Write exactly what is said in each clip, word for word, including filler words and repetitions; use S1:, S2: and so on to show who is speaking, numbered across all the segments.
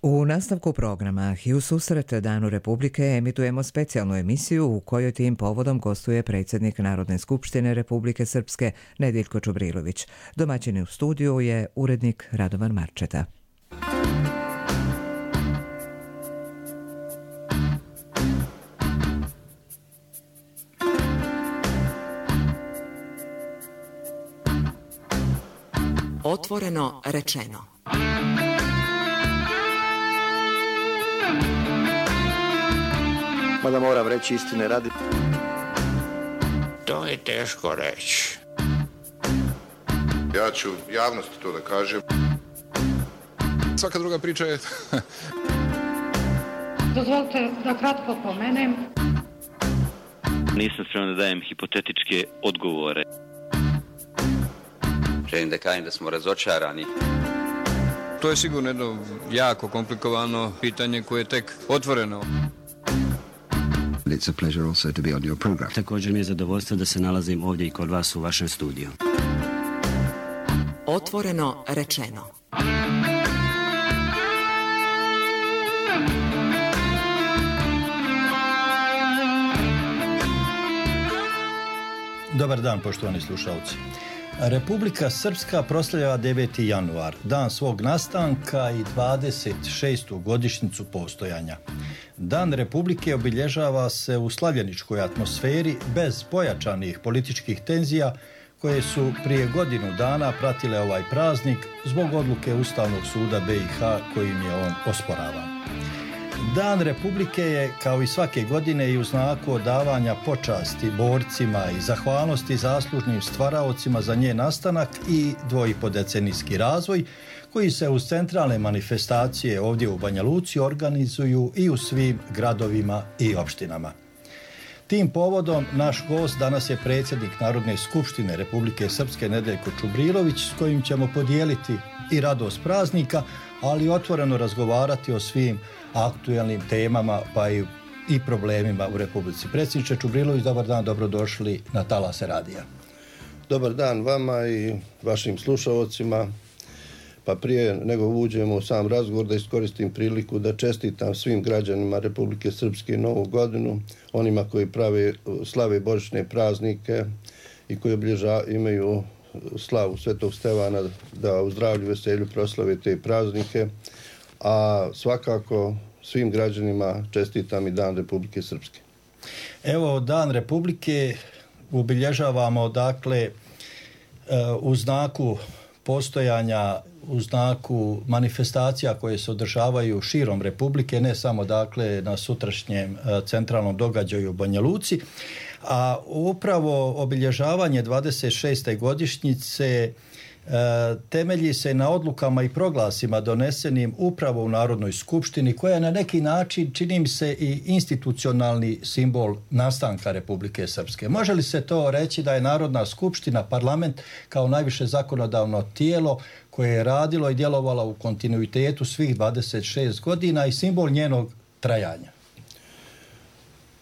S1: U nastavku programa i u susret Danu Republike emitujemo specijalnu emisiju u kojoj tim povodom gostuje predsjednik Narodne skupštine Republike Srpske Nediljko Čubrilović. Domaćin u studiju je urednik Radovan Marčeta.
S2: Otvoreno rečeno.
S3: Mada moram reći istine radi.
S4: To je teško reći.
S5: Ja ću javnosti to da kažem.
S6: Svaka druga priča je...
S7: Dozvolite da kratko pomenem.
S8: Nisam spreman da dajem hipotetičke odgovore.
S9: Želim da kažem da smo razočarani.
S6: To je sigurno jedno jako komplikovano pitanje koje je tek otvoreno.
S10: It's a pleasure also to be on your program.
S11: Također mi je zadovoljstvo da se nalazim ovdje i kod vas u vašem studiju.
S2: Otvoreno rečeno.
S12: Dobar dan, poštovani slušalci. Republika Srpska proslavlja deveti januar, dan svog nastanka i dvadeset šestu godišnjicu postojanja. Dan Republike obilježava se u slavljeničkoj atmosferi bez pojačanih političkih tenzija koje su prije godinu dana pratile ovaj praznik zbog odluke Ustavnog suda B i H kojim je on osporavan. Dan Republike je, kao i svake godine, i u znaku odavanja počasti borcima i zahvalnosti zaslužnim stvaraocima za njen nastanak i dvoipodecenijski razvoj, koji se uz centralne manifestacije ovdje u Banja Luci organizuju i u svim gradovima i opštinama. Tim povodom naš gost danas je predsjednik Narodne skupštine Republike Srpske Nediljko Čubrilović, s kojim ćemo podijeliti i radost praznika, ali otvoreno razgovarati o svim aktualnim temama pa i, i problemima u Republici. Predsjedniče Čubrilović, dobar dan, dobrodošli na Talase radija.
S3: Dobar dan vama i vašim slušalcima. Pa prije nego uđemo u sam razgovor da iskoristim priliku da čestitam svim građanima Republike Srpske Novu godinu, onima koji prave slave božićne praznike i koji obilježa, imaju slavu Svetog Stevana, da u zdravlju, veselju proslave te praznike, a svakako svim građanima čestitam i Dan Republike Srpske.
S12: Evo, Dan Republike obilježavamo, dakle, u znaku postojanja, u znaku manifestacija koje se održavaju širom Republike, ne samo, dakle, na sutrašnjem centralnom događaju u Banja Luci, a upravo obilježavanje dvadeset šeste godišnjice temelji se na odlukama i proglasima donesenim upravo u Narodnoj skupštini, koja je na neki način, čini mi se, i institucionalni simbol nastanka Republike Srpske. Može li se to reći da je Narodna skupština, parlament, kao najviše zakonodavno tijelo koje je radilo i djelovalo u kontinuitetu svih dvadeset šest godina i simbol njenog trajanja?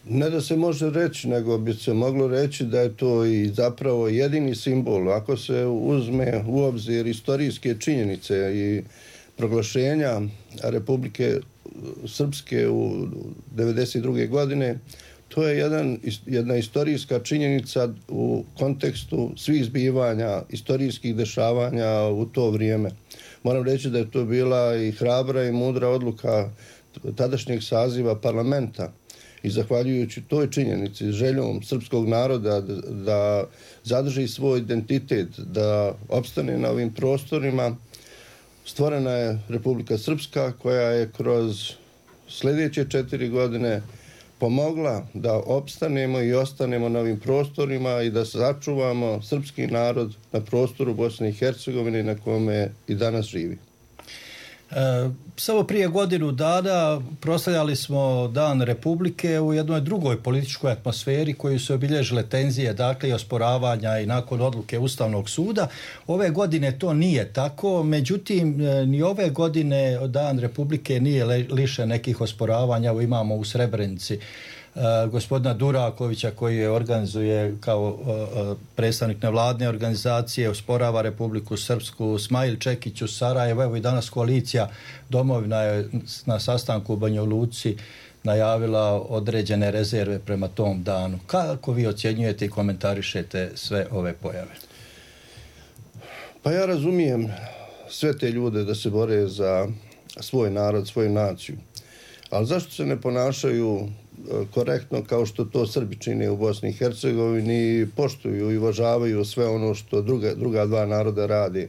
S3: Ne da se može reći, nego bi se moglo reći da je to i zapravo jedini simbol. Ako se uzme u obzir istorijske činjenice i proglašenja Republike Srpske u devedeset druge godine, to je jedan, jedna istorijska činjenica u kontekstu svih zbivanja, istorijskih dešavanja u to vrijeme. Moram reći da je to bila i hrabra i mudra odluka tadašnjeg saziva parlamenta. I zahvaljujući toj činjenici, željom srpskog naroda da, da zadrži svoj identitet, da opstane na ovim prostorima, stvorena je Republika Srpska, koja je kroz sljedeće četiri godine pomogla da opstanemo i ostanemo na ovim prostorima i da sačuvamo srpski narod na prostoru Bosne i Hercegovine na kome i danas živi.
S12: E, samo prije godinu dana proslavljali smo Dan Republike u jednoj drugoj političkoj atmosferi koju su obilježile tenzije, dakle i osporavanja i nakon odluke Ustavnog suda. Ove godine to nije tako, međutim ni ove godine Dan Republike nije lišen nekih osporavanja. Evo imamo u Srebrenici gospodina Durakovića koji je organizuje kao predstavnik nevladne organizacije, osporava Republiku Srpsku, Smajl Čekić u Sarajevu, evo i danas koalicija Domovina je na sastanku u Banja Luci najavila određene rezerve prema tom danu. Kako vi ocjenjujete i komentarišete sve ove pojave?
S3: Pa ja razumijem sve te ljude da se bore za svoj narod, svoju naciju. Ali zašto se ne ponašaju korektno kao što to Srbi čine u Bosni i Hercegovini, poštuju i uvažavaju sve ono što druga, druga dva naroda radi?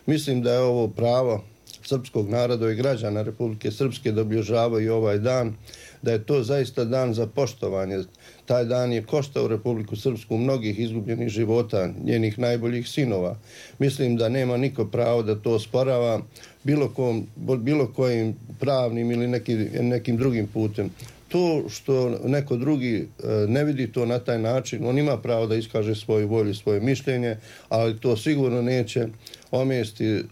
S3: Mislim da je ovo pravo srpskog naroda i građana Republike Srpske da obilježavaju ovaj dan, da je to zaista dan za poštovanje. Taj dan je koštao Republiku Srpsku mnogih izgubljenih života, njenih najboljih sinova. Mislim da nema niko pravo da to osporava bilo, kom, bilo kojim pravnim ili neki, nekim drugim putem. To što neko drugi ne vidi to na taj način, on ima pravo da iskaže svoju volju, svoje mišljenje, ali to sigurno neće omesti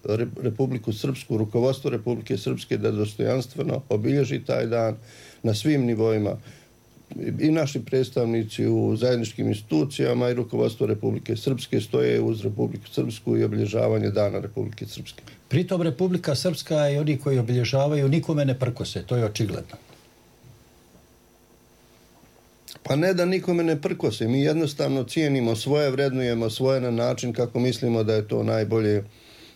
S3: Republiku Srpsku, rukovodstvo Republike Srpske da dostojanstveno obilježi taj dan na svim nivoima. I naši predstavnici u zajedničkim institucijama i rukovodstvo Republike Srpske stoje uz Republiku Srpsku i obilježavanje dana Republike Srpske.
S12: Pritom Republika Srpska i oni koji obilježavaju nikome ne prkose, to je očigledno.
S3: Pa ne da nikome ne prkose, mi jednostavno cijenimo svoje, vrednujemo svoje na način kako mislimo da je to najbolje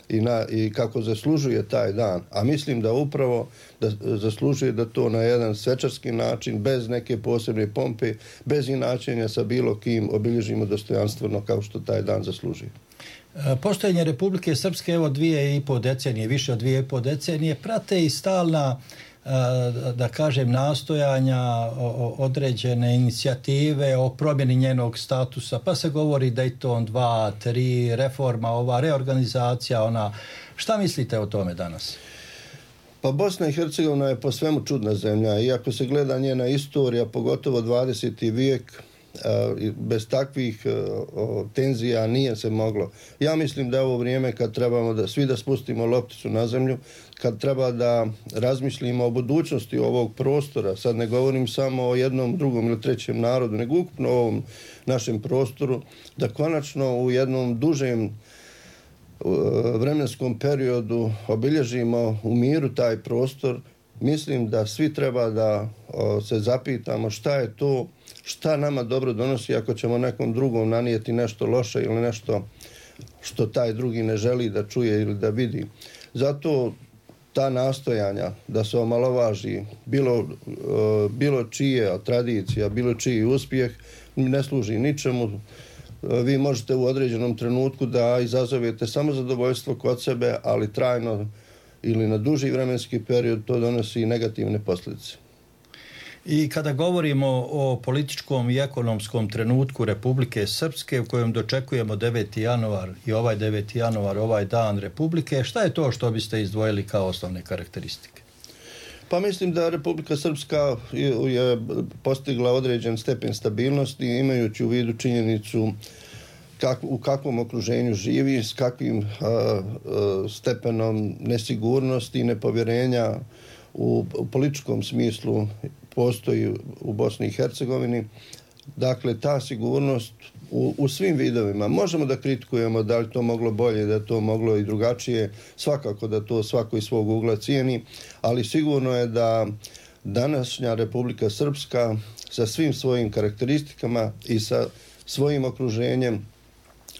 S3: i, na, i kako zaslužuje taj dan. A mislim da upravo da zaslužuje da to na jedan svečarski način, bez neke posebne pompe, bez inačenja sa bilo kim obilježimo dostojanstveno kao što taj dan zaslužuje.
S12: Postojanje Republike Srpske, evo dvije i po decenije, više od dvije i po decenije, prate i stalna, da kažem, nastojanja, određene inicijative o promjeni njenog statusa, pa se govori Dayton dva, tri, reforma, ova reorganizacija, ona. Šta mislite o tome danas?
S3: Pa Bosna i Hercegovina je po svemu čudna zemlja, iako se gleda njena istorija, pogotovo dvadeseti vijek, bez takvih tenzija nije se moglo. Ja mislim da je ovo vrijeme kad trebamo da svi da spustimo lopticu na zemlju, kad treba da razmišljimo o budućnosti ovog prostora. Sad ne govorim samo o jednom, drugom ili trećem narodu, nego ukupno o ovom našem prostoru, da konačno u jednom dužem vremenskom periodu obilježimo u miru taj prostor. Mislim da svi treba da se zapitamo šta je to, šta nama dobro donosi ako ćemo nekom drugom nanijeti nešto loše ili nešto što taj drugi ne želi da čuje ili da vidi. Zato ta nastojanja da se omalovaži bilo, bilo čije tradicija, bilo čiji uspjeh ne služi ničemu. Vi možete u određenom trenutku da izazovete samo zadovoljstvo kod sebe, ali trajno ili na duži vremenski period to donosi negativne posljedice.
S12: I kada govorimo o političkom i ekonomskom trenutku Republike Srpske u kojem dočekujemo deveti januar i ovaj deveti januar, ovaj dan Republike, šta je to što biste izdvojili kao osnovne karakteristike?
S3: Pa mislim da Republika Srpska je postigla određen stepen stabilnosti imajući u vidu činjenicu kak, u kakvom okruženju živi, s kakvim a, a, stepenom nesigurnosti i nepovjerenja u, u političkom smislu postoji u Bosni i Hercegovini. Dakle, ta sigurnost u, u svim vidovima. Možemo da kritikujemo da li to moglo bolje, da to moglo i drugačije, svakako da to svako iz svog ugla cijeni, ali sigurno je da današnja Republika Srpska sa svim svojim karakteristikama i sa svojim okruženjem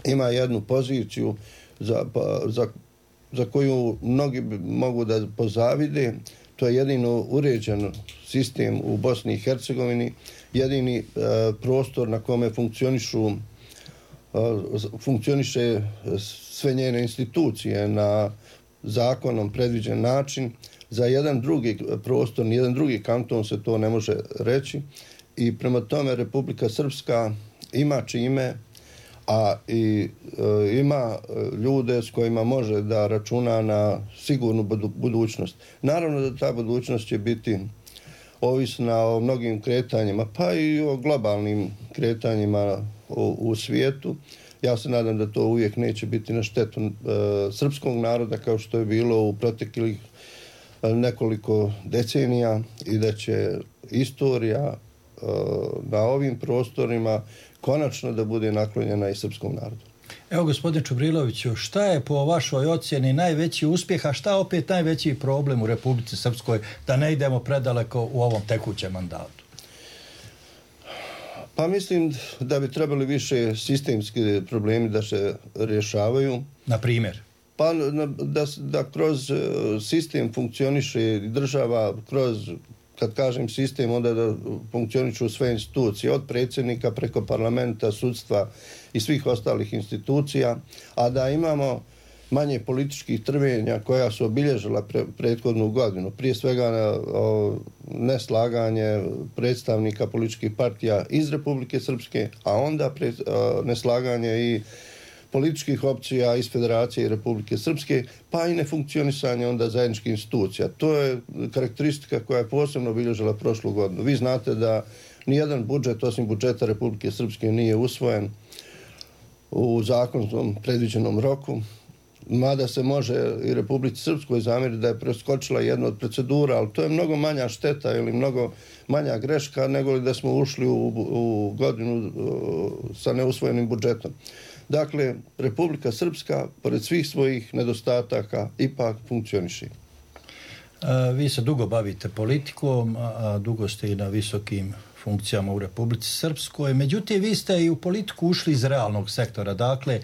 S3: ima jednu poziciju za, za, za koju mnogi mogu da pozavide. To je jedino uređen sistem u Bosni i Hercegovini, jedini e, prostor na kome funkcionišu, e, funkcioniše sve njene institucije na zakonom predviđen način. Za jedan drugi prostor, jedan drugi kanton se to ne može reći i prema tome Republika Srpska ima čime, a i e, ima ljude s kojima može da računa na sigurnu budućnost. Naravno da ta budućnost će biti ovisna o mnogim kretanjima, pa i o globalnim kretanjima u, u svijetu. Ja se nadam da to uvijek neće biti na štetu e, srpskog naroda kao što je bilo u proteklih nekoliko decenija i da će istorija na ovim prostorima konačno da bude naklonjena i srpskom narodu.
S12: Evo, gospodine Čubriloviću, šta je po vašoj ocjeni najveći uspjeh, a šta opet najveći problem u Republici Srpskoj, da ne idemo predaleko u ovom tekućem mandatu?
S3: Pa mislim da bi trebali više sistemski problemi da se rješavaju.
S12: Na primjer?
S3: Pa da, da kroz sistem funkcioniše država, kroz, kad kažem sistem, onda da funkcionišu sve institucije, od predsjednika preko parlamenta, sudstva i svih ostalih institucija, a da imamo manje političkih trvenja koja su obilježila pre, prethodnu godinu. Prije svega o, neslaganje predstavnika političkih partija iz Republike Srpske, a onda pre, o, neslaganje i političkih opcija iz Federacije i Republike Srpske, pa i nefunkcionisanje onda zajedničkih institucija. To je karakteristika koja je posebno obilježila prošlu godinu. Vi znate da nijedan budžet, osim budžeta Republike Srpske, nije usvojen u zakonskom predviđenom roku, mada se može i Republici Srpskoj zamjeriti da je preskočila jedna od procedura, ali to je mnogo manja šteta ili mnogo manja greška nego li da smo ušli u, u godinu sa neusvojenim budžetom. Dakle, Republika Srpska, pored svih svojih nedostataka, ipak funkcioniše.
S12: Vi se dugo bavite politikom, a dugo ste i na visokim funkcijama u Republici Srpskoj. Međutim, vi ste i u politiku ušli iz realnog sektora. Dakle,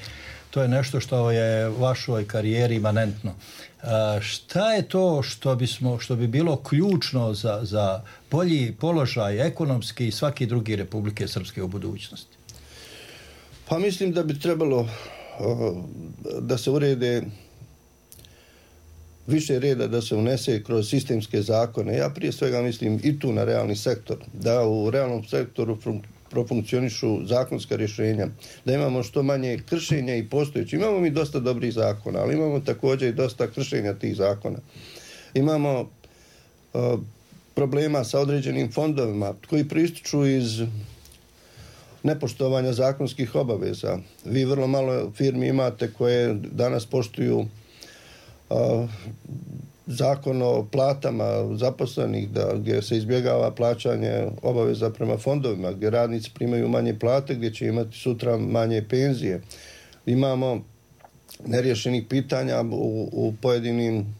S12: to je nešto što je vašoj karijeri imanentno. Šta je to što, bismo, što bi bilo ključno za, za bolji položaj ekonomski i svaki drugi Republike Srpske u budućnosti?
S3: Pa mislim da bi trebalo da se urede više reda, da se unese kroz sistemske zakone. Ja prije svega mislim i tu na realni sektor, da u realnom sektoru profunkcionišu zakonska rješenja, da imamo što manje kršenja i postojeći. Imamo mi dosta dobrih zakona, ali imamo također i dosta kršenja tih zakona. Imamo uh, problema sa određenim fondovima koji prističu iz nepoštovanja zakonskih obaveza. Vi vrlo malo firmi imate koje danas poštuju uh, zakon o platama zaposlenih, da, gdje se izbjegava plaćanje obaveza prema fondovima, gdje radnici primaju manje plate, gdje će imati sutra manje penzije. Imamo neriješenih pitanja u, u pojedinim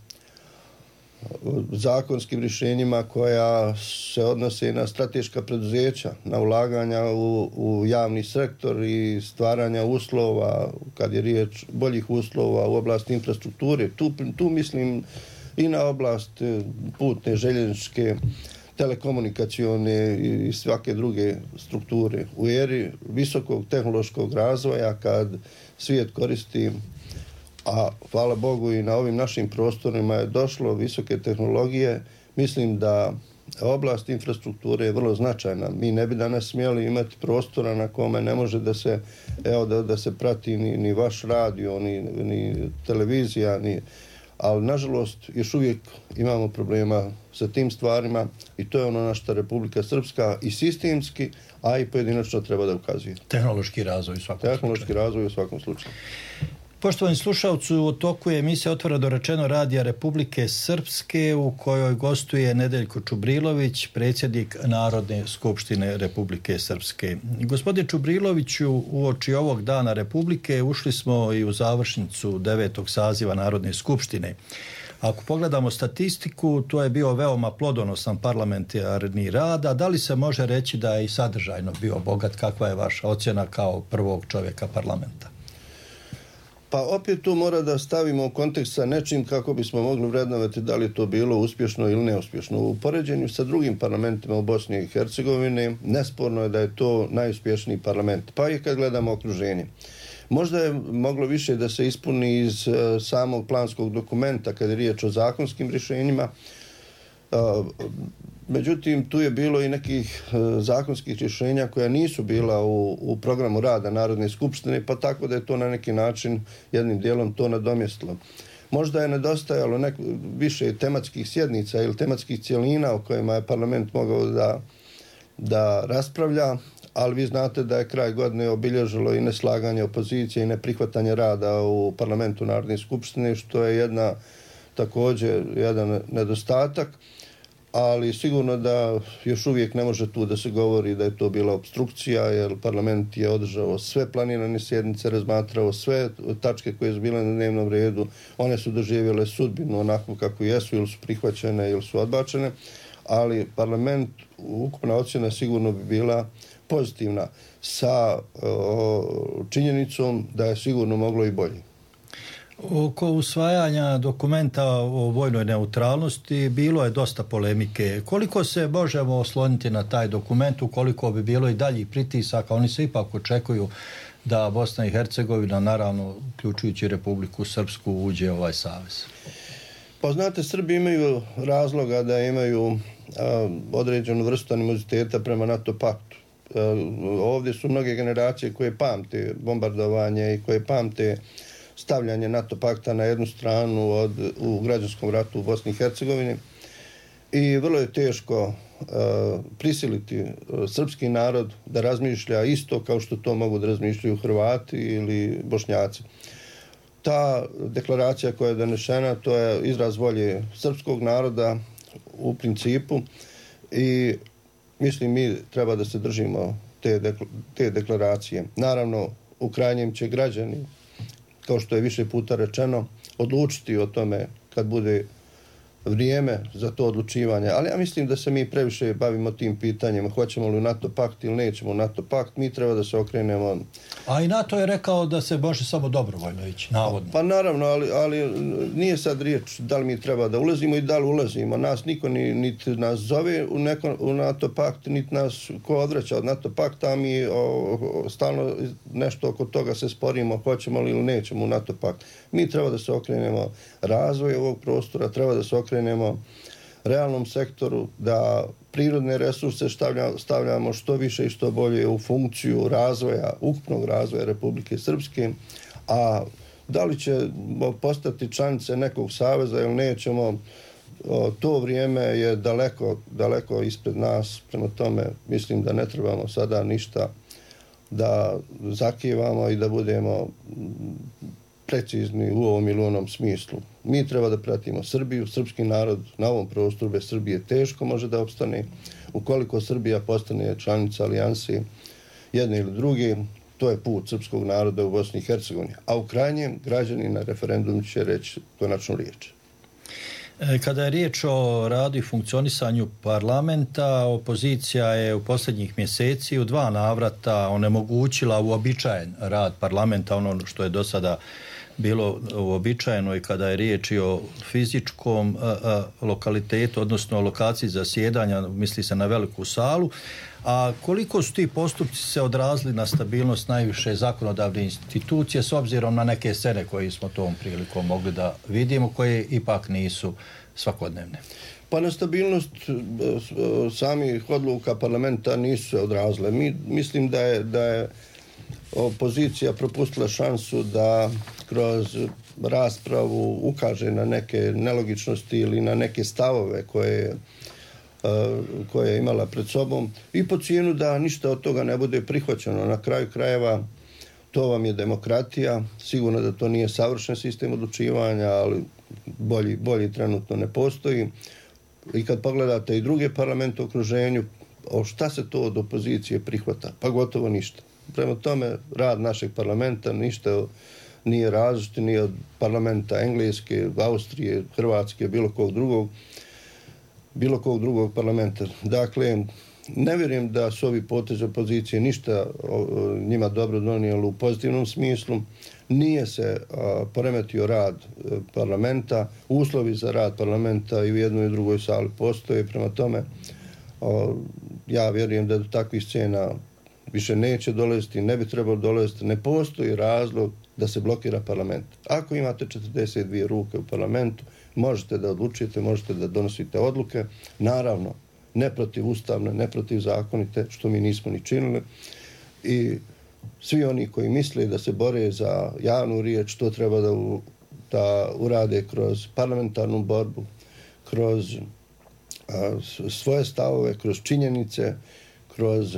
S3: zakonskim rješenjima koja se odnose na strateška preduzeća, na ulaganja u, u javni sektor i stvaranja uslova, kad je riječ boljih uslova u oblasti infrastrukture. Tu, tu mislim i na oblast putne, željezničke, telekomunikacione i svake druge strukture. U eri visokog tehnološkog razvoja, kad svijet koristi, a hvala Bogu i na ovim našim prostorima je došlo visoke tehnologije, mislim da oblast infrastrukture je vrlo značajna. Mi ne bi danas smjeli imati prostora na kome ne može da se, evo, da, da se prati ni, ni vaš radio, ni, ni televizija, ni... ali nažalost još uvijek imamo problema sa tim stvarima i to je ono na što Republika Srpska i sistemski, a i pojedinačno treba da ukazuje.
S12: Tehnološki razvoj u svakom
S3: Tehnološki
S12: slučaju.
S3: razvoj u svakom slučaju.
S12: Poštovani slušalci, u toku je emisija Otvoreno rečeno Radija Republike Srpske u kojoj gostuje Nedeljko Čubrilović, predsjednik Narodne skupštine Republike Srpske. Gospodine Čubriloviću, uoči ovog dana Republike ušli smo i u završnicu devetog saziva Narodne skupštine. Ako pogledamo statistiku, to je bio veoma plodonosan parlamentarni rad, a da li se može reći da je i sadržajno bio bogat? Kakva je vaša ocjena kao prvog čovjeka parlamenta?
S3: Pa opet tu mora da stavimo u kontekst sa nečim kako bismo mogli vrednovati da li je to bilo uspješno ili neuspješno. U poređenju sa drugim parlamentima u Bosni i Hercegovini nesporno je da je to najuspješniji parlament. Pa i kad gledamo okruženje. Možda je moglo više da se ispuni iz uh, samog planskog dokumenta kad je riječ o zakonskim rješenjima. Uh, međutim, tu je bilo i nekih uh, zakonskih rješenja koja nisu bila u, u programu rada Narodne skupštine, pa tako da je to na neki način jednim dijelom to nadomjestilo. Možda je nedostajalo nek, više tematskih sjednica ili tematskih cjelina o kojima je parlament mogao da, da raspravlja, ali vi znate da je kraj godine obilježilo i neslaganje opozicije i neprihvatanje rada u parlamentu Narodne skupštine, što je jedna također jedan nedostatak. ali sigurno da još uvijek ne može tu da se govori da je to bila obstrukcija, jer parlament je održao sve planirane sjednice, razmatrao sve tačke koje su bile na dnevnom redu, one su doživjele sudbinu onako kako jesu, ili su prihvaćene ili su odbačene, ali parlament, ukupna ocjena sigurno bi bila pozitivna sa o, činjenicom da je sigurno moglo i bolje.
S12: Oko usvajanja dokumenta o vojnoj neutralnosti bilo je dosta polemike. Koliko se možemo osloniti na taj dokument, ukoliko bi bilo i daljih pritisaka? Oni se ipak očekuju da Bosna i Hercegovina, naravno uključujući Republiku Srpsku, uđe u ovaj savez.
S3: Pa znate, Srbi imaju razloga da imaju a, određenu vrstu animoziteta prema NATO paktu. A, ovdje su mnoge generacije koje pamte bombardovanje i koje pamte stavljanje NATO pakta na jednu stranu od, u građanskom ratu u Bosni i Hercegovini i vrlo je teško uh, prisiliti uh, srpski narod da razmišlja isto kao što to mogu da razmišljaju Hrvati ili Bošnjaci. Ta deklaracija koja je donešena, to je izraz volje srpskog naroda u principu i mislim mi treba da se držimo te, dekla, te deklaracije. Naravno, u krajnjem će građani, kao što je više puta rečeno, odlučiti o tome kad bude vrijeme za to odlučivanje. Ali ja mislim da se mi previše bavimo tim pitanjima. Hoćemo li u NATO pakt ili nećemo u NATO pakt. Mi treba da se okrenemo.
S12: A i NATO je rekao da se može samo dobrovoljno ići, navodno.
S3: Pa naravno, ali, ali nije sad riječ da li mi treba da ulazimo i da li ulazimo. Nas niko ni, niti nas zove u, neko, u NATO pakt, niti nas ko odvraća od NATO pakta, a mi o, o, stalno nešto oko toga se sporimo, hoćemo li ili nećemo u NATO pakt. Mi treba da se okrenemo razvoju ovog prostora, treba da se okrenemo realnom sektoru, da prirodne resurse stavljamo, stavljamo što više i što bolje u funkciju razvoja, ukupnog razvoja Republike Srpske, a da li će postati članice nekog saveza ili nećemo, to vrijeme je daleko, daleko ispred nas, prema tome mislim da ne trebamo sada ništa da zakivamo i da budemo precizni u ovom ili onom smislu. Mi treba da pratimo Srbiju, srpski narod na ovom prostoru bez Srbije teško može da opstane. Ukoliko Srbija postane članica alijanse jedne ili druge, to je put srpskog naroda u Bosni i Hercegovini. A u krajnjem građani na referendumu će reći konačnu riječ.
S12: Kada je riječ o radu i funkcionisanju parlamenta, opozicija je u posljednjih mjeseci u dva navrata onemogućila uobičajen rad parlamenta, ono što je do sada bilo uobičajeno i kada je riječ i o fizičkom a, a, lokalitetu, odnosno o lokaciji zasjedanja, misli se na veliku salu. A koliko su ti postupci se odrazili na stabilnost najviše zakonodavne institucije s obzirom na neke scene koje smo tom prilikom mogli da vidimo, koje ipak nisu svakodnevne?
S3: Pa na stabilnost samih odluka parlamenta nisu se odrazile. Mi mislim da je, da je opozicija propustila šansu da kroz raspravu ukaže na neke nelogičnosti ili na neke stavove koje koje je imala pred sobom i po cijenu da ništa od toga ne bude prihvaćeno. Na kraju krajeva to vam je demokratija. Sigurno da to nije savršen sistem odlučivanja, ali bolji, bolji trenutno ne postoji. I kad pogledate i druge parlamente u okruženju, o šta se to od opozicije prihvata? Pa gotovo ništa. Prema tome, rad našeg parlamenta ništa nije različit ni od parlamenta Engleske, Austrije, Hrvatske, bilo kog drugog bilo kog drugog parlamenta. Dakle, ne vjerujem da su ovi potezi opozicije ništa njima dobro donijelo u pozitivnom smislu. Nije se a, poremetio rad a, parlamenta. Uslovi za rad parlamenta i u jednoj i drugoj sali postoje. Prema tome, a, ja vjerujem da do takvih scena više neće dolaziti, ne bi trebalo dolaziti. Ne postoji razlog da se blokira parlament. Ako imate četrdeset dvije ruke u parlamentu, možete da odlučite, možete da donosite odluke, naravno, ne protiv ustavne, ne protiv zakonite, što mi nismo ni činili. I svi oni koji misle da se bore za javnu riječ, to treba da, u, da urade kroz parlamentarnu borbu, kroz a, svoje stavove, kroz činjenice, kroz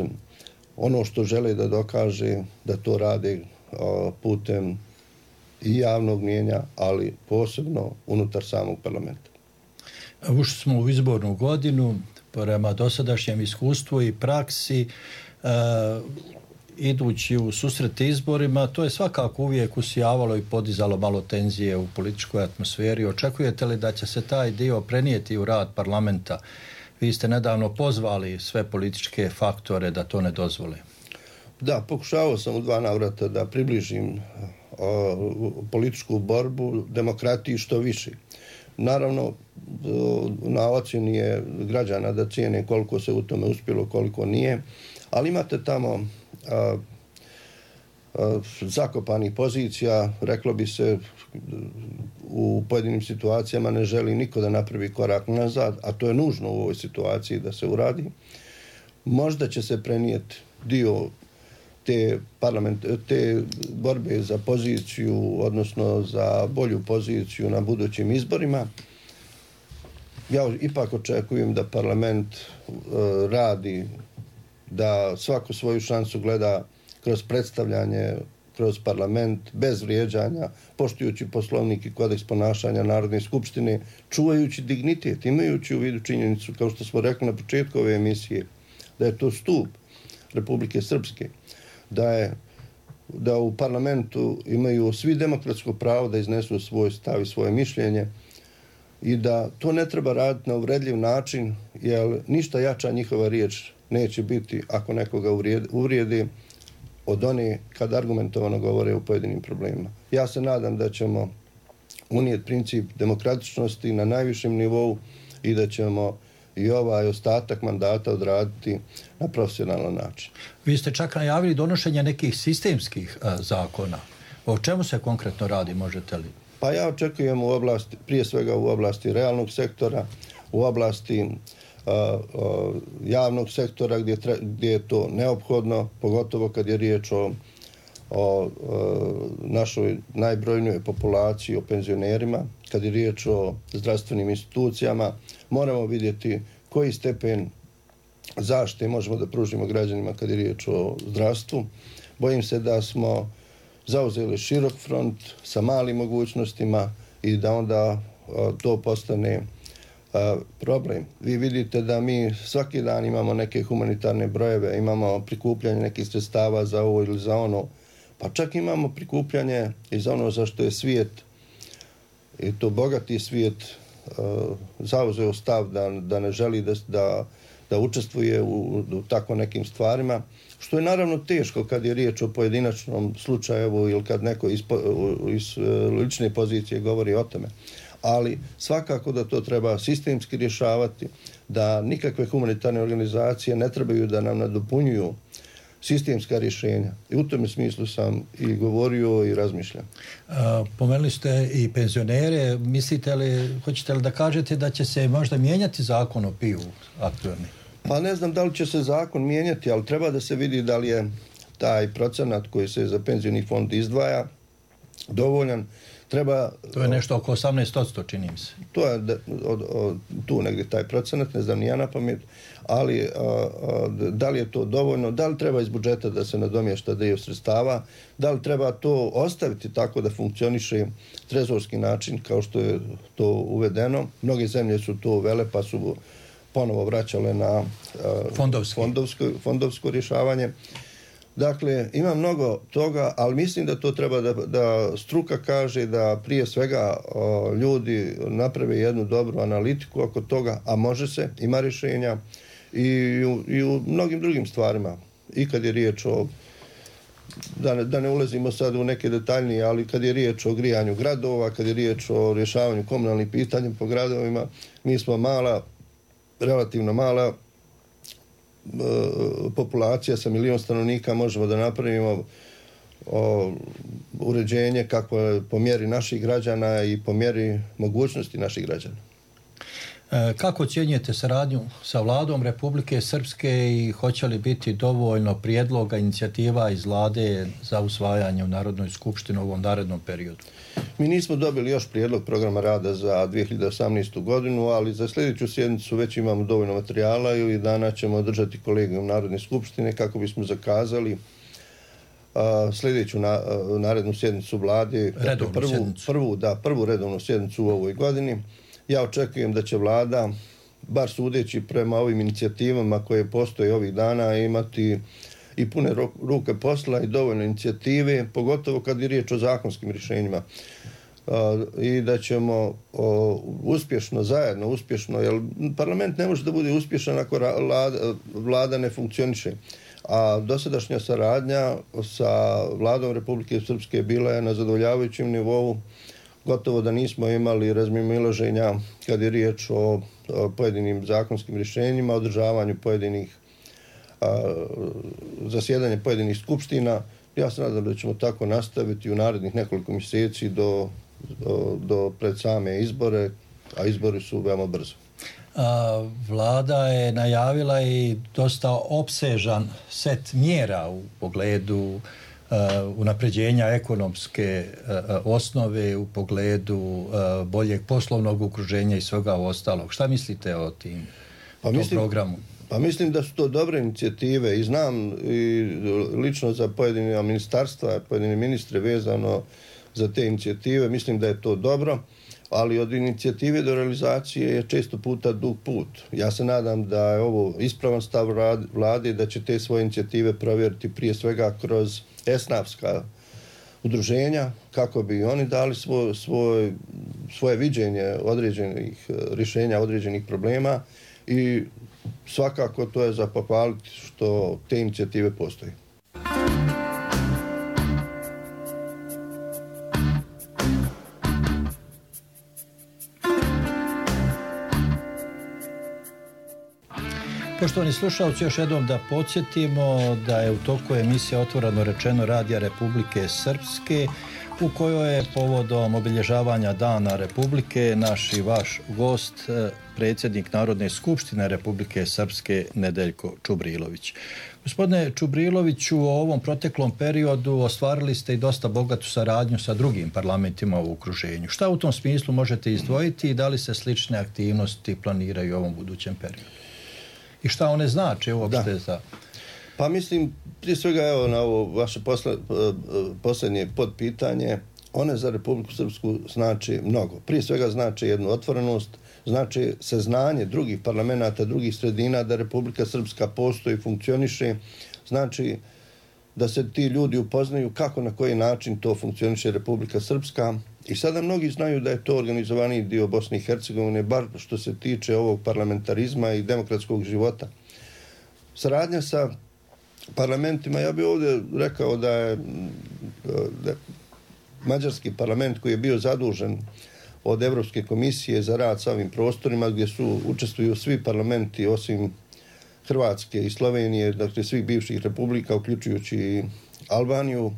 S3: ono što žele da dokaže, da to rade a, putem i javnog mnijenja, ali posebno unutar samog parlamenta.
S12: Ušli smo u izbornu godinu, prema dosadašnjem iskustvu i praksi, e, idući u susret izborima, to je svakako uvijek usijavalo i podizalo malo tenzije u političkoj atmosferi. Očekujete li da će se taj dio prenijeti u rad parlamenta? Vi ste nedavno pozvali sve političke faktore da to ne dozvole.
S3: Da, pokušavao sam u dva navrata da približim o, političku borbu, demokratiji što više. Naravno, na ocjeni je građana da cijene koliko se u tome uspjelo, koliko nije, ali imate tamo a, a, zakopanih pozicija, reklo bi se u pojedinim situacijama ne želi niko da napravi korak nazad, a to je nužno u ovoj situaciji da se uradi. Možda će se prenijeti dio te, parlament, te borbe za poziciju, odnosno za bolju poziciju na budućim izborima. Ja ipak očekujem da parlament uh, radi, da svaku svoju šansu gleda kroz predstavljanje, kroz parlament, bez vrijeđanja, poštujući poslovnik i kodeks ponašanja Narodne skupštine, čuvajući dignitet, imajući u vidu činjenicu, kao što smo rekli na početku ove emisije, da je to stup Republike Srpske, da je da u parlamentu imaju svi demokratsko pravo da iznesu svoj stav i svoje mišljenje i da to ne treba raditi na uvredljiv način, jer ništa jača njihova riječ neće biti ako nekoga uvrijedi od one kad argumentovano govore o pojedinim problemima. Ja se nadam da ćemo unijeti princip demokratičnosti na najvišem nivou i da ćemo i ovaj ostatak mandata odraditi na profesionalan način.
S12: Vi ste čak najavili donošenje nekih sistemskih a, zakona. O čemu se konkretno radi, možete li?
S3: Pa ja očekujem u oblasti, prije svega u oblasti realnog sektora, u oblasti a, a, javnog sektora gdje, tre, gdje je to neophodno, pogotovo kad je riječ o, o a, našoj najbrojnijoj populaciji, o penzionerima, kad je riječ o zdravstvenim institucijama. Moramo vidjeti koji stepen zaštite možemo da pružimo građanima kad je riječ o zdravstvu. Bojim se da smo zauzeli širok front sa malim mogućnostima i da onda a, to postane a, problem. Vi vidite da mi svaki dan imamo neke humanitarne brojeve, imamo prikupljanje nekih sredstava za ovo ili za ono, pa čak imamo prikupljanje i za ono za što je svijet, i to bogati svijet, uh, zauzeo stav da, da ne želi da, da, da učestvuje u, u tako nekim stvarima, što je naravno teško kad je riječ o pojedinačnom slučaju ili kad neko iz, iz lične pozicije govori o tome. Ali svakako da to treba sistemski rješavati, da nikakve humanitarne organizacije ne trebaju da nam nadopunjuju sistemska rješenja. I u tome smislu sam i govorio i razmišljam.
S12: Pomenuli ste i penzionere. Mislite li, hoćete li da kažete da će se možda mijenjati zakon o P I U aktualni?
S3: Pa ne znam da li će se zakon mijenjati, ali treba da se vidi da li je taj procenat koji se za penzioni fond izdvaja dovoljan. Treba,
S12: to je nešto oko osamnaest posto, čini mi se.
S3: To je da, od, od, tu negdje taj procenat, ne znam ni ja na pamet, ali a, a, da li je to dovoljno, da li treba iz budžeta da se nadomješta dio sredstava, da li treba to ostaviti tako da funkcioniše trezorski način kao što je to uvedeno. Mnoge zemlje su to uvele pa su ponovo vraćale na a, fondovsko, fondovsko rješavanje. Dakle, ima mnogo toga, ali mislim da to treba da, da struka kaže da prije svega o, ljudi naprave jednu dobru analitiku oko toga, a može se, ima rješenja i u, i u mnogim drugim stvarima. I kad je riječ o, da ne, da ne ulazimo sad u neke detaljnije, ali kad je riječ o grijanju gradova, kad je riječ o rješavanju komunalnih pitanja po gradovima, mi smo mala, relativno mala populacija sa milion stanovnika, možemo da napravimo o, uređenje kako je po mjeri naših građana i po mjeri mogućnosti naših građana.
S12: E, kako ocjenjujete saradnju sa vladom Republike Srpske i hoće li biti dovoljno prijedloga, inicijativa iz vlade za usvajanje u Narodnoj skupštini u ovom narednom periodu?
S3: Mi nismo dobili još prijedlog programa rada za dvije hiljade osamnaestu godinu, ali za sljedeću sjednicu već imamo dovoljno materijala i ovih dana ćemo održati kolegijum Narodne skupštine kako bismo zakazali a, sljedeću na, a, narednu sjednicu vlade,
S12: redovnu
S3: prvu,
S12: sjednicu.
S3: Prvu, da, prvu redovnu sjednicu u ovoj godini, Ja očekujem da će vlada, bar sudeći prema ovim inicijativama koje postoje ovih dana, imati i pune ruke posla i dovoljno inicijative, pogotovo kad je riječ o zakonskim rješenjima. I da ćemo uspješno, zajedno uspješno, jer parlament ne može da bude uspješan ako vlada ne funkcioniše. A dosadašnja saradnja sa vladom Republike Srpske bila je na zadovoljavajućem nivou, gotovo da nismo imali razmimoilaženja kad je riječ o pojedinim zakonskim rješenjima, održavanju pojedinih zasjedanja pojedinih skupština. Ja se nadam da ćemo tako nastaviti u narednih nekoliko mjeseci do, do, do pred same izbore, a izbori su veoma brzo.
S12: A, vlada je najavila i dosta opsežan set mjera u pogledu uh, unapređenja ekonomske uh, osnove, u pogledu uh, boljeg poslovnog okruženja i svega ostalog. Šta mislite o tim
S3: pa
S12: o tom
S3: mislim,
S12: programu?
S3: Pa mislim da su to dobre inicijative i znam i lično za pojedine ministarstva, pojedine ministre vezano za te inicijative. Mislim da je to dobro, ali od inicijative do realizacije je često puta dug put. Ja se nadam da je ovo ispravan stav vlade, da će te svoje inicijative provjeriti prije svega kroz esnafska udruženja, kako bi oni dali svoj, svoj, svoje viđenje određenih rješenja, određenih problema i svakako to je za pohvaliti što te inicijative postoje.
S12: Poštovani slušalci, još jednom da podsjetimo da je u toku emisija Otvoreno rečeno Radija Republike Srpske, u kojoj je povodom obilježavanja Dana Republike naš i vaš gost, predsjednik Narodne skupštine Republike Srpske Nedeljko Čubrilović. Gospodine Čubriloviću, u ovom proteklom periodu ostvarili ste i dosta bogatu saradnju sa drugim parlamentima u okruženju. Šta u tom smislu možete izdvojiti i da li se slične aktivnosti planiraju u ovom budućem periodu? I šta one znače uopšte za...
S3: Pa mislim, prije svega evo na ovo vaše posle, posljednje podpitanje, one za Republiku Srpsku znači mnogo. Prije svega znači jednu otvorenost, znači saznanje drugih parlamenta, drugih sredina da Republika Srpska postoji, funkcioniše, znači da se ti ljudi upoznaju kako, na koji način to funkcioniše Republika Srpska. I sada mnogi znaju da je to organizovani dio Bosne i Hercegovine, bar što se tiče ovog parlamentarizma i demokratskog života. Saradnja sa parlamentima, ja bih ovdje rekao da je, da je mađarski parlament koji je bio zadužen od Evropske komisije za rad sa ovim prostorima, gdje su učestvuju svi parlamenti osim Hrvatske i Slovenije, dakle svih bivših republika, uključujući i Albaniju.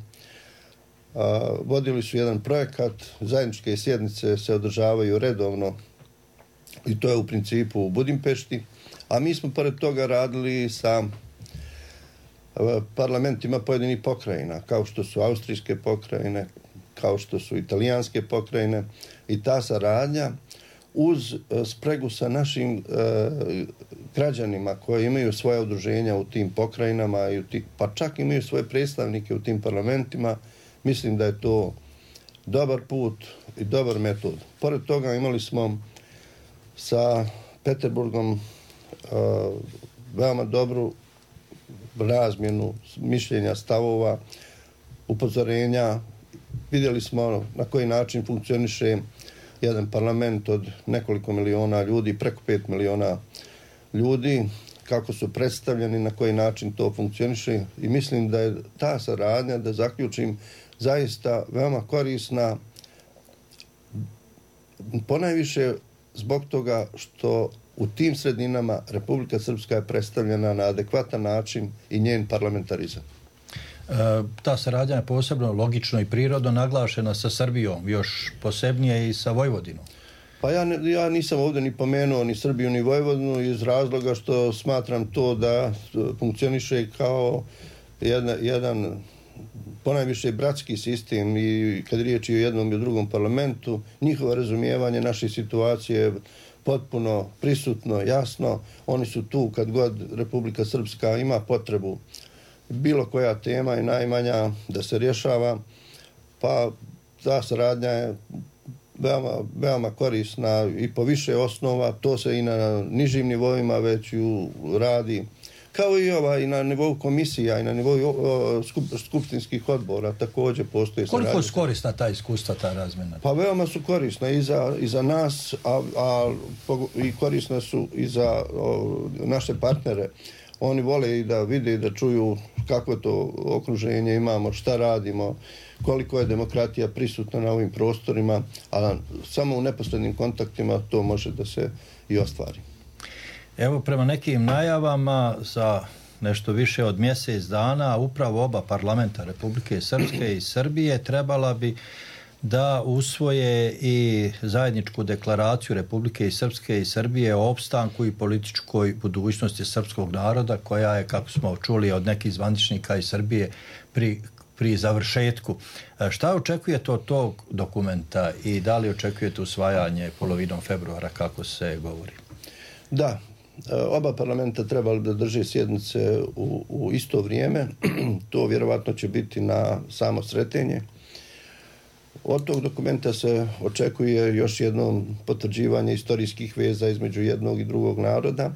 S3: A, vodili su jedan projekat, zajedničke sjednice se održavaju redovno i to je u principu u Budimpešti, a mi smo pored toga radili sa parlamentima pojedinih pokrajina, kao što su austrijske pokrajine, kao što su italijanske pokrajine, i ta saradnja uz spregu sa našim e, građanima koji imaju svoje udruženja u tim pokrajinama, i u ti, pa čak imaju svoje predstavnike u tim parlamentima, mislim da je to dobar put i dobar metod. Pored toga imali smo sa Peterburgom uh, veoma dobru razmjenu mišljenja, stavova, upozorenja. Vidjeli smo na koji način funkcioniše jedan parlament od nekoliko miliona ljudi, preko pet miliona ljudi, kako su predstavljeni, na koji način to funkcioniše, i mislim da je ta saradnja, da zaključim, zaista veoma korisna, ponajviše zbog toga što u tim sredinama Republika Srpska je predstavljena na adekvatan način i njen parlamentarizam.
S12: E, ta saradnja je posebno logično i prirodno naglašena sa Srbijom, još posebnije i sa Vojvodinom.
S3: Pa ja, ne, ja nisam ovdje ni pomenuo ni Srbiju ni Vojvodinu iz razloga što smatram to da funkcioniše kao jedna, jedan ponajviše bratski sistem, i kad riječ je o jednom i o drugom parlamentu, njihovo razumijevanje naše situacije je potpuno prisutno, jasno. Oni su tu kad god Republika Srpska ima potrebu, bilo koja tema je najmanja da se rješava, pa ta saradnja je veoma, veoma korisna i po više osnova, to se i na nižim nivoima već ju radi, kao i ova i na nivou komisija i na nivou skup, skupštinskih odbora također postoji.
S12: Koliko su korisna ta iskustva, ta razmjena?
S3: Pa veoma su korisna i za, i za nas, a, a i korisna su i za o, naše partnere. Oni vole i da vide i da čuju kako to okruženje imamo, šta radimo, koliko je demokratija prisutna na ovim prostorima, a samo u neposrednim kontaktima to može da se i ostvari.
S12: Evo, prema nekim najavama za nešto više od mjesec dana upravo oba parlamenta Republike Srpske i Srbije trebala bi da usvoje i zajedničku deklaraciju Republike Srpske i Srbije o opstanku i političkoj budućnosti srpskog naroda, koja je, kako smo čuli od nekih zvaničnika iz Srbije, pri, pri završetku. Šta očekujete od tog dokumenta i da li očekujete usvajanje polovinom februara, kako se govori?
S3: Da, oba parlamenta trebali da drže sjednice u, u isto vrijeme. To vjerovatno će biti na samo sretenje. Od tog dokumenta se očekuje još jedno potvrđivanje istorijskih veza između jednog i drugog naroda,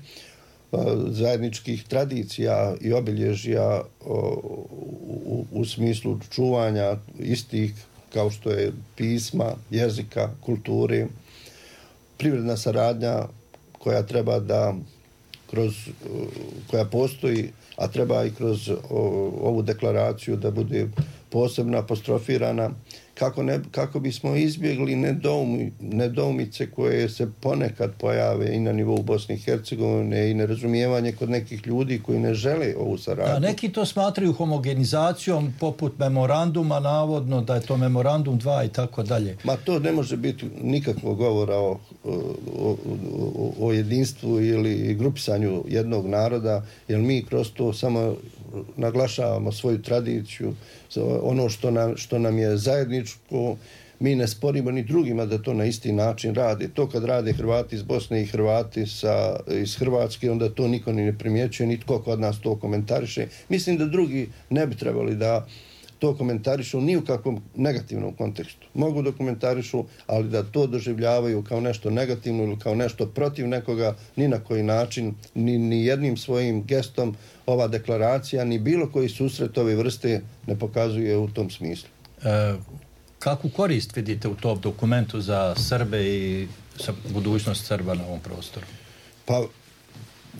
S3: zajedničkih tradicija i obilježja u, u smislu čuvanja istih, kao što je pisma, jezika, kulture, privredna saradnja koja treba da kroz, koja postoji, a treba i kroz ovu deklaraciju da bude posebno apostrofirana, kako, ne, kako bismo izbjegli nedoumi, nedoumice koje se ponekad pojave i na nivou Bosne i Hercegovine i nerazumijevanje kod nekih ljudi koji ne žele ovu saradnju.
S12: Da, neki to smatraju homogenizacijom poput memoranduma, navodno da je to memorandum dva i tako dalje.
S3: Ma to ne može biti nikakvog govora o, o, o, o jedinstvu ili grupisanju jednog naroda, jer mi kroz to samo naglašavamo svoju tradiciju, ono što nam, što nam je zajedničko, mi ne sporimo ni drugima da to na isti način rade. To kad rade Hrvati iz Bosne i Hrvati sa, iz Hrvatske, onda to niko ni ne primjećuje, nitko kod nas to komentariše. Mislim da drugi ne bi trebali da to komentarišu ni u kakvom negativnom kontekstu. Mogu da komentarišu, ali da to doživljavaju kao nešto negativno ili kao nešto protiv nekoga, ni na koji način, ni, ni jednim svojim gestom ova deklaracija, ni bilo koji susret ove vrste ne pokazuje u tom smislu.
S12: E, kakvu korist vidite u tom dokumentu za Srbe i za budućnost Srba na ovom prostoru?
S3: Pa,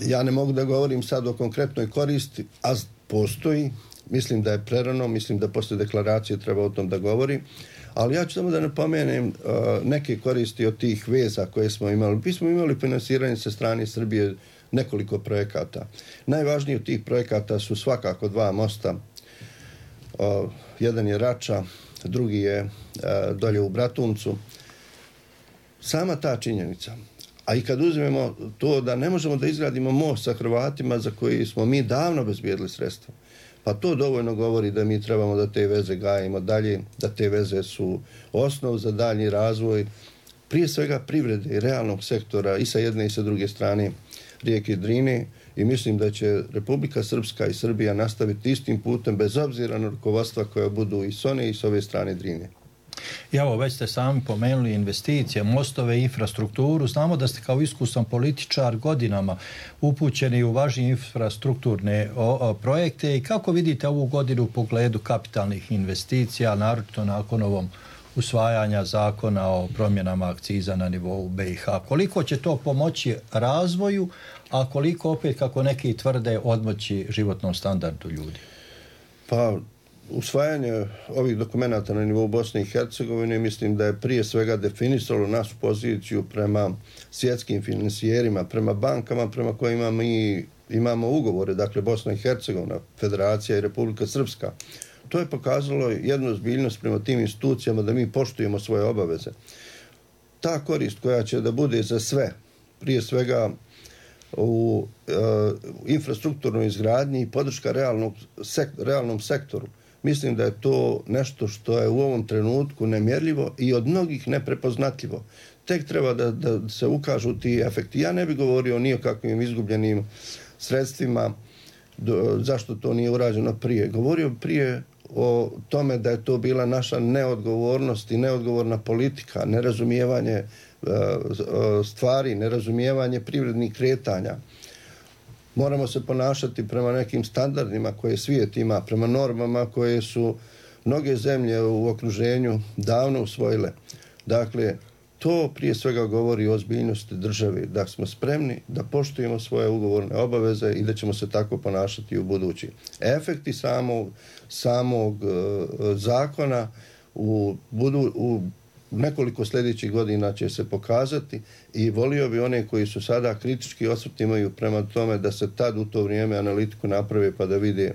S3: ja ne mogu da govorim sad o konkretnoj koristi, a postoji. Mislim da je prerano, mislim da posle deklaracije treba o tom da govori, ali ja ću samo da napomenem uh, neke koristi od tih veza koje smo imali. Mi smo imali finansiranje sa strane Srbije nekoliko projekata. Najvažniji od tih projekata su svakako dva mosta. Uh, jedan je Rača, drugi je uh, dolje u Bratuncu. Sama ta činjenica. A i kad uzmemo to da ne možemo da izgradimo most sa Hrvatima za koji smo mi davno bezbijedili sredstva, pa to dovoljno govori da mi trebamo da te veze gajimo dalje, da te veze su osnov za daljnji razvoj, prije svega privrede i realnog sektora i sa jedne i sa druge strane rijeke Drine, i mislim da će Republika Srpska i Srbija nastaviti istim putem bez obzira na rukovodstva koja budu i s one i s ove strane Drine.
S12: I evo, već ste sami pomenuli investicije, mostove, infrastrukturu. Znamo da ste kao iskusan političar godinama upućeni u važne infrastrukturne o, o, projekte, i kako vidite ovu godinu u pogledu kapitalnih investicija, naročito nakon ovom usvajanja zakona o promjenama akciza na nivou B i H. Koliko će to pomoći razvoju, a koliko opet, kako neki tvrde, odmoći životnom standardu ljudi?
S3: Pa, usvajanje ovih dokumenata na nivou Bosne i Hercegovine mislim da je prije svega definisalo našu poziciju prema svjetskim finansijerima, prema bankama prema kojima mi imamo ugovore, dakle Bosna i Hercegovina, Federacija i Republika Srpska. To je pokazalo jednu ozbiljnost prema tim institucijama da mi poštujemo svoje obaveze. Ta korist koja će da bude za sve, prije svega u e, infrastrukturnoj izgradnji i podrška realnog, sek, realnom sektoru, mislim da je to nešto što je u ovom trenutku nemjerljivo i od mnogih neprepoznatljivo. Tek treba da, da se ukažu ti efekti. Ja ne bih govorio ni o kakvim izgubljenim sredstvima, do, zašto to nije urađeno prije. Govorio prije o tome da je to bila naša neodgovornost i neodgovorna politika, nerazumijevanje stvari, nerazumijevanje privrednih kretanja. Moramo se ponašati prema nekim standardima koje svijet ima, prema normama koje su mnoge zemlje u okruženju davno usvojile. Dakle, to prije svega govori o ozbiljnosti države, da smo spremni da poštujemo svoje ugovorne obaveze i da ćemo se tako ponašati u budući. Efekti samog, samog uh, zakona u, budu, u nekoliko sljedećih godina će se pokazati i volio bi one koji su sada kritički osvrt imaju prema tome da se tad u to vrijeme analitiku naprave pa da vide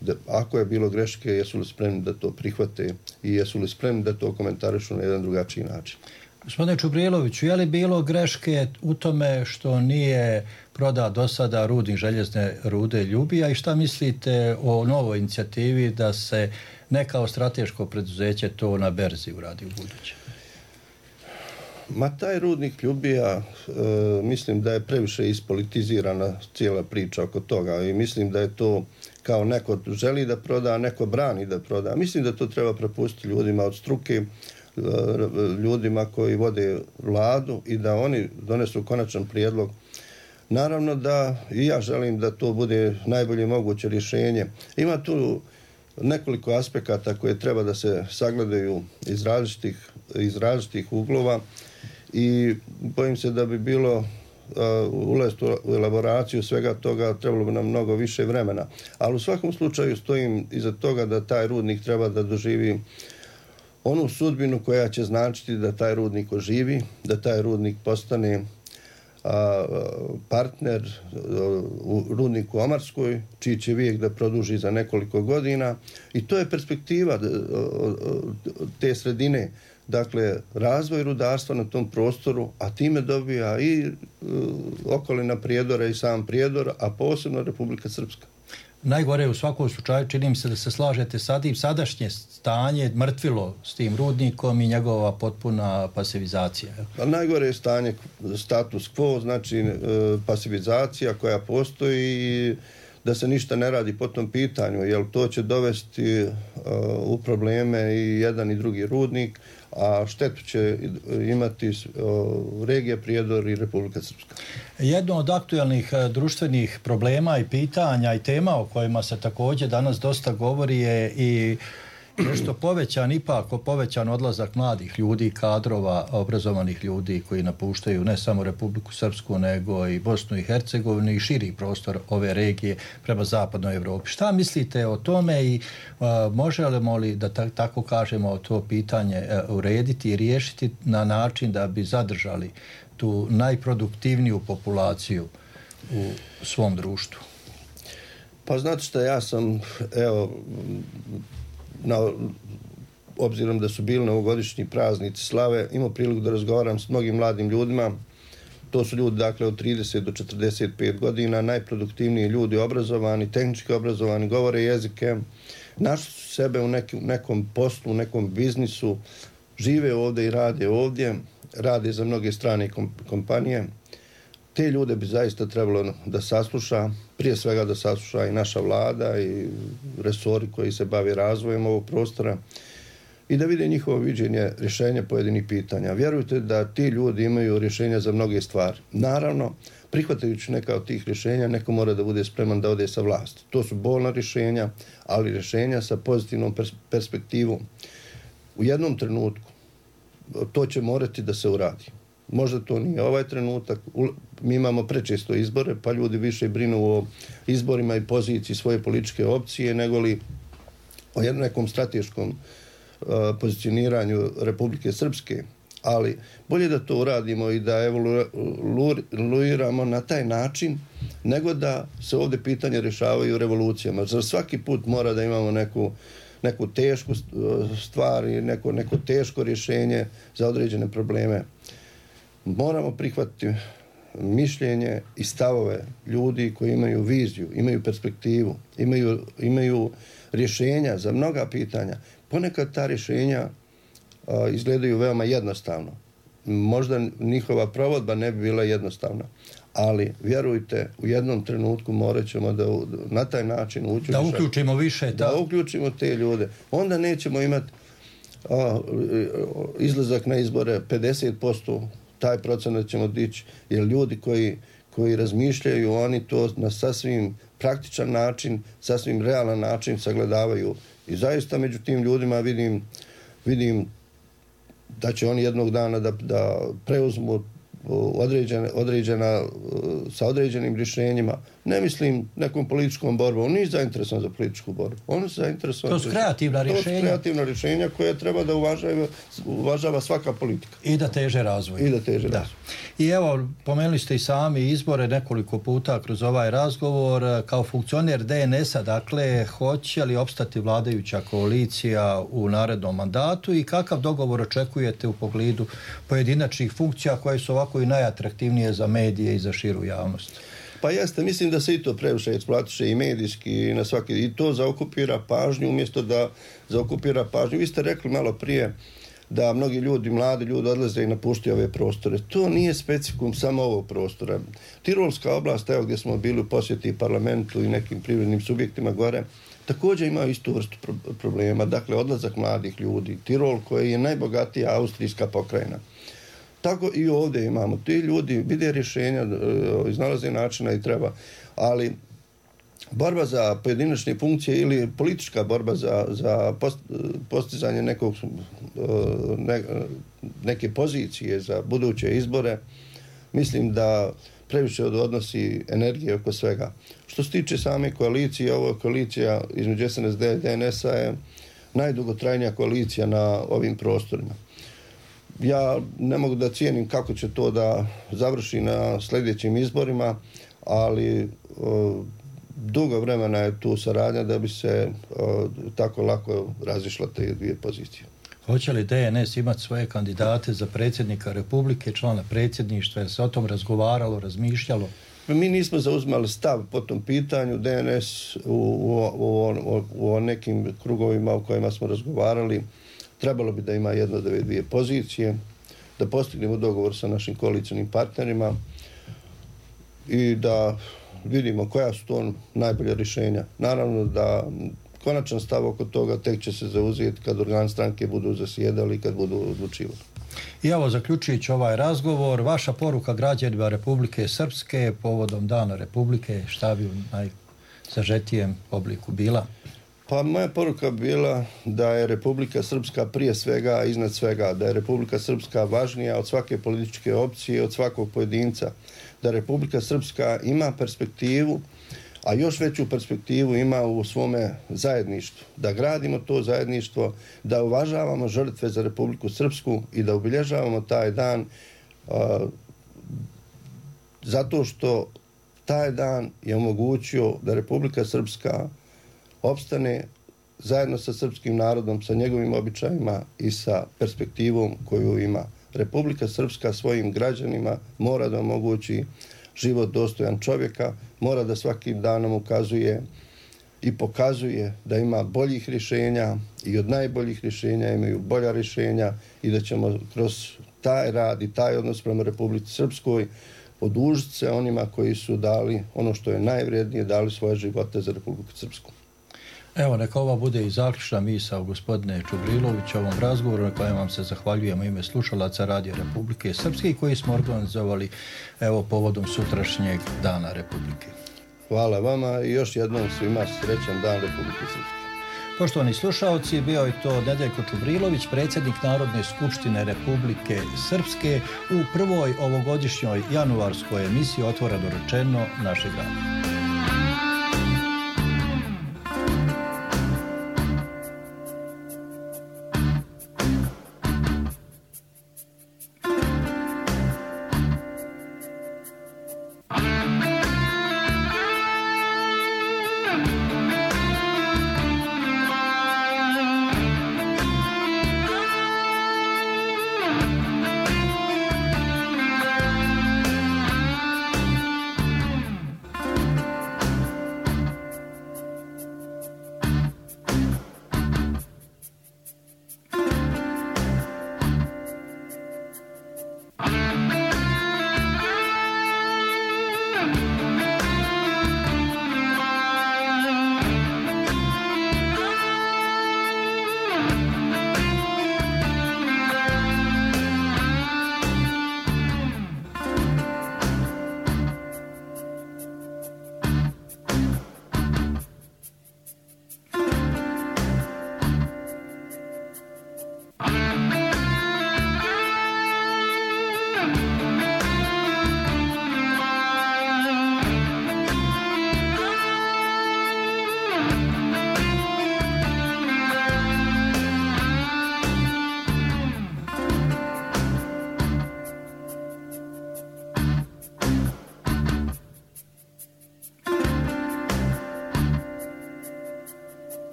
S3: da ako je bilo greške, jesu li spremni da to prihvate i jesu li spremni da to komentarišu na jedan drugačiji način.
S12: Gospodine Čubriloviću, je li bilo greške u tome što nije prodao do sada rudnik željezne rude Ljubija i šta mislite o novoj inicijativi da se ne kao strateško preduzeće to na berzi uradi u buduće?
S3: Ma taj rudnik Ljubija, e, mislim da je previše ispolitizirana cijela priča oko toga i mislim da je to kao neko želi da proda, neko brani da proda. Mislim da to treba prepustiti ljudima od struke, ljudima koji vode vladu i da oni donesu konačan prijedlog. Naravno da i ja želim da to bude najbolje moguće rješenje. Ima tu nekoliko aspekata koje treba da se sagledaju iz različitih, iz različitih uglova i bojim se da bi bilo uh, ulaziti u elaboraciju svega toga trebalo bi nam mnogo više vremena. Ali u svakom slučaju stojim iza toga da taj rudnik treba da doživi onu sudbinu koja će značiti da taj rudnik oživi, da taj rudnik postane a, partner u rudniku Omarskoj, čiji će vijek da produži za nekoliko godina. I to je perspektiva te sredine. Dakle, razvoj rudarstva na tom prostoru, a time dobija i okolina Prijedora i sam Prijedor, a posebno Republika Srpska.
S12: Najgore u svakom slučaju čini mi se da se slažete sad i sadašnje stanje mrtvilo s tim rudnikom i njegova potpuna pasivizacija.
S3: A najgore je stanje status quo, znači pasivizacija koja postoji i da se ništa ne radi po tom pitanju, jer to će dovesti u probleme i jedan i drugi rudnik, a štetu će imati regija Prijedor i Republika Srpska.
S12: Jedno od aktualnih društvenih problema i pitanja i tema o kojima se također danas dosta govori je i nešto povećan, ipak povećan odlazak mladih ljudi, kadrova, obrazovanih ljudi koji napuštaju ne samo Republiku Srpsku, nego i Bosnu i Hercegovinu i širi prostor ove regije prema zapadnoj Evropi. Šta mislite o tome i uh, možemo li, da ta, tako kažemo, to pitanje uh, urediti i riješiti na način da bi zadržali tu najproduktivniju populaciju u svom društvu?
S3: Pa znate šta, ja sam, evo, na, obzirom da su bili novogodišnji praznici slave, imao priliku da razgovaram s mnogim mladim ljudima. To su ljudi, dakle, od trideset do četrdeset pet godina, najproduktivniji ljudi, obrazovani, tehnički obrazovani, govore jezike, našli su sebe u nekim, nekom poslu, u nekom biznisu, žive ovdje i rade ovdje, rade za mnoge strane kompanije. Te ljude bi zaista trebalo da sasluša, prije svega da sasluša i naša vlada i resori koji se bave razvojem ovog prostora i da vide njihovo viđenje rješenja pojedinih pitanja. Vjerujte da ti ljudi imaju rješenja za mnoge stvari. Naravno, prihvatajući neka od tih rješenja, neko mora da bude spreman da ode sa vlasti. To su bolna rješenja, ali rješenja sa pozitivnom pers- perspektivom. U jednom trenutku to će morati da se uradi. Možda to nije ovaj trenutak, mi imamo prečesto izbore, pa ljudi više brinu o izborima i poziciji svoje političke opcije, nego li o jednom nekom strateškom uh, pozicioniranju Republike Srpske. Ali bolje da to uradimo i da evoluiramo na taj način, nego da se ovdje pitanje rješavaju revolucijama. Za svaki put mora da imamo neku, neku tešku stvar i neko, neko teško rješenje za određene probleme. Moramo prihvatiti mišljenje i stavove ljudi koji imaju viziju, imaju perspektivu, imaju, imaju rješenja za mnoga pitanja. Ponekad ta rješenja a, izgledaju veoma jednostavno. Možda njihova provodba ne bi bila jednostavna, ali vjerujte, u jednom trenutku morat ćemo da na taj način uđu.
S12: Da uključimo više. Da,
S3: da uključimo te ljude. Onda nećemo imati a, izlazak na izbore pedeset posto, taj procenat ćemo dići, jer ljudi koji, koji razmišljaju, oni to na sasvim praktičan način, sasvim realan način sagledavaju. I zaista među tim ljudima vidim, vidim da će oni jednog dana da, da preuzmu određene, određena, sa određenim rješenjima. Ne mislim nekom političkom borbom. On nije zainteresovan za političku borbu. On je zainteresovan...
S12: To su kreativna rješenja.
S3: To su kreativna rješenja koje treba da uvažava, uvažava svaka politika.
S12: I da teže razvoj.
S3: I da teže
S12: da.
S3: razvoj.
S12: I evo, pomenuli ste i sami izbore nekoliko puta kroz ovaj razgovor. Kao funkcioner D N S-a, dakle, hoće li opstati vladajuća koalicija u narednom mandatu i kakav dogovor očekujete u pogledu pojedinačnih funkcija koje su ovako i najatraktivnije za medije i za širu javnost?
S3: Pa jeste, mislim da se i to previše eksploatiše i medijski i na svaki, i to zaokupira pažnju umjesto da zaokupira pažnju. Vi ste rekli malo prije da mnogi ljudi, mladi ljudi odlaze i napuštaju ove prostore. To nije specifikum samo ovog prostora. Tirolska oblast, evo gdje smo bili u posjeti parlamentu i nekim privrednim subjektima gore, također imaju istu vrstu problema. Dakle, odlazak mladih ljudi. Tirol koji je najbogatija austrijska pokrajina. Tako i ovdje imamo. Ti ljudi vide rješenja, iznalaze načina i treba, ali borba za pojedinačne funkcije ili politička borba za, za post, postizanje nekog, ne, neke pozicije za buduće izbore, mislim da previše odnosi energije oko svega. Što se tiče same koalicije, ovo koalicija između S N S D i D N S-a je najdugotrajnija koalicija na ovim prostorima. Ja ne mogu da cijenim kako će to da završi na sljedećim izborima, ali o, dugo vremena je tu saradnja da bi se o, tako lako razišla te dvije pozicije.
S12: Hoće li D N S imati svoje kandidate za predsjednika Republike, člana predsjedništva? Je se o tom razgovaralo, razmišljalo?
S3: Mi nismo zauzimali stav po tom pitanju. D N S u, u, u, u, u nekim krugovima u kojima smo razgovarali trebalo bi da ima jedno od ove dvije pozicije, da postignemo dogovor sa našim koalicijnim partnerima i da vidimo koja su to najbolje rješenja. Naravno da konačan stav oko toga tek će se zauzeti kad organ stranke budu zasjedali i kad budu odlučivali.
S12: I evo, zaključujući ovaj razgovor, vaša poruka građanima Republike Srpske povodom Dana Republike, šta bi u najsažetijem obliku bila?
S3: Pa moja poruka bila da je Republika Srpska prije svega, iznad svega, da je Republika Srpska važnija od svake političke opcije, od svakog pojedinca, da Republika Srpska ima perspektivu, a još veću perspektivu ima u svome zajedništvu. Da gradimo to zajedništvo, da uvažavamo žrtve za Republiku Srpsku i da obilježavamo taj dan a, zato što taj dan je omogućio da Republika Srpska opstane zajedno sa srpskim narodom, sa njegovim običajima i sa perspektivom koju ima. Republika Srpska svojim građanima mora da omogući život dostojan čovjeka, mora da svakim danom ukazuje i pokazuje da ima boljih rješenja i od najboljih rješenja imaju bolja rješenja i da ćemo kroz taj rad i taj odnos prema Republici Srpskoj odužiti se onima koji su dali ono što je najvrijednije, dali svoje živote za Republiku Srpsku.
S12: Evo, neka ova bude i zaključna misao gospodine Čubrilović ovom razgovoru na kojem vam se zahvaljujemo ime slušalaca Radio Republike Srpske koji smo organizovali evo povodom sutrašnjeg Dana Republike.
S3: Hvala vama i još jednom svima srećan Dan Republike Srpske.
S12: Poštovani slušalci, bio je to Nedeljko Čubrilović, predsjednik Narodne skupštine Republike Srpske u prvoj ovogodišnjoj januarskoj emisiji Otvoreno rečeno našeg radija.